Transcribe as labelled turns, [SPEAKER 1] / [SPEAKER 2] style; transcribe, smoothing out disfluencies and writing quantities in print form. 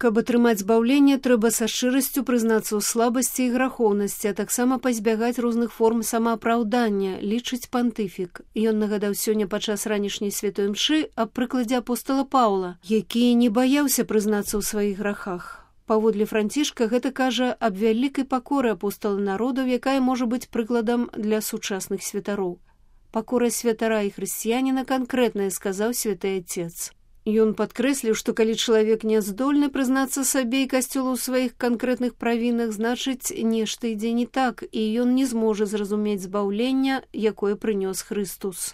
[SPEAKER 1] Каб атрымаць збаўленне, трэба са шчырасцю прызнацца ў слабасці і грахоўнасці, а таксама пазбягаць розных форм самаапраўдання, лічыць пантыфік. Ён нагадаў сёння падчас ранішняй святой мшы аб прыкладзе апостола Паўла, які не баяўся прызнацца ў сваіх грахах. Паводле Францішка гэта кажа аб вялікай пакоры апостола народаў, якая можа быць прыкладам для сучасных святароў. Пакора святара і хрысціяніна канкрэтная, сказаў святы Отец. Ён падкрэсліў, што калі чалавек не здольны прызнацца сабе і касцёлу ў сваіх канкрэтных правінах, значыць, нешта ідзе не так, і ён не зможа зразумець збаўлення, якое прынёс Хрыстус.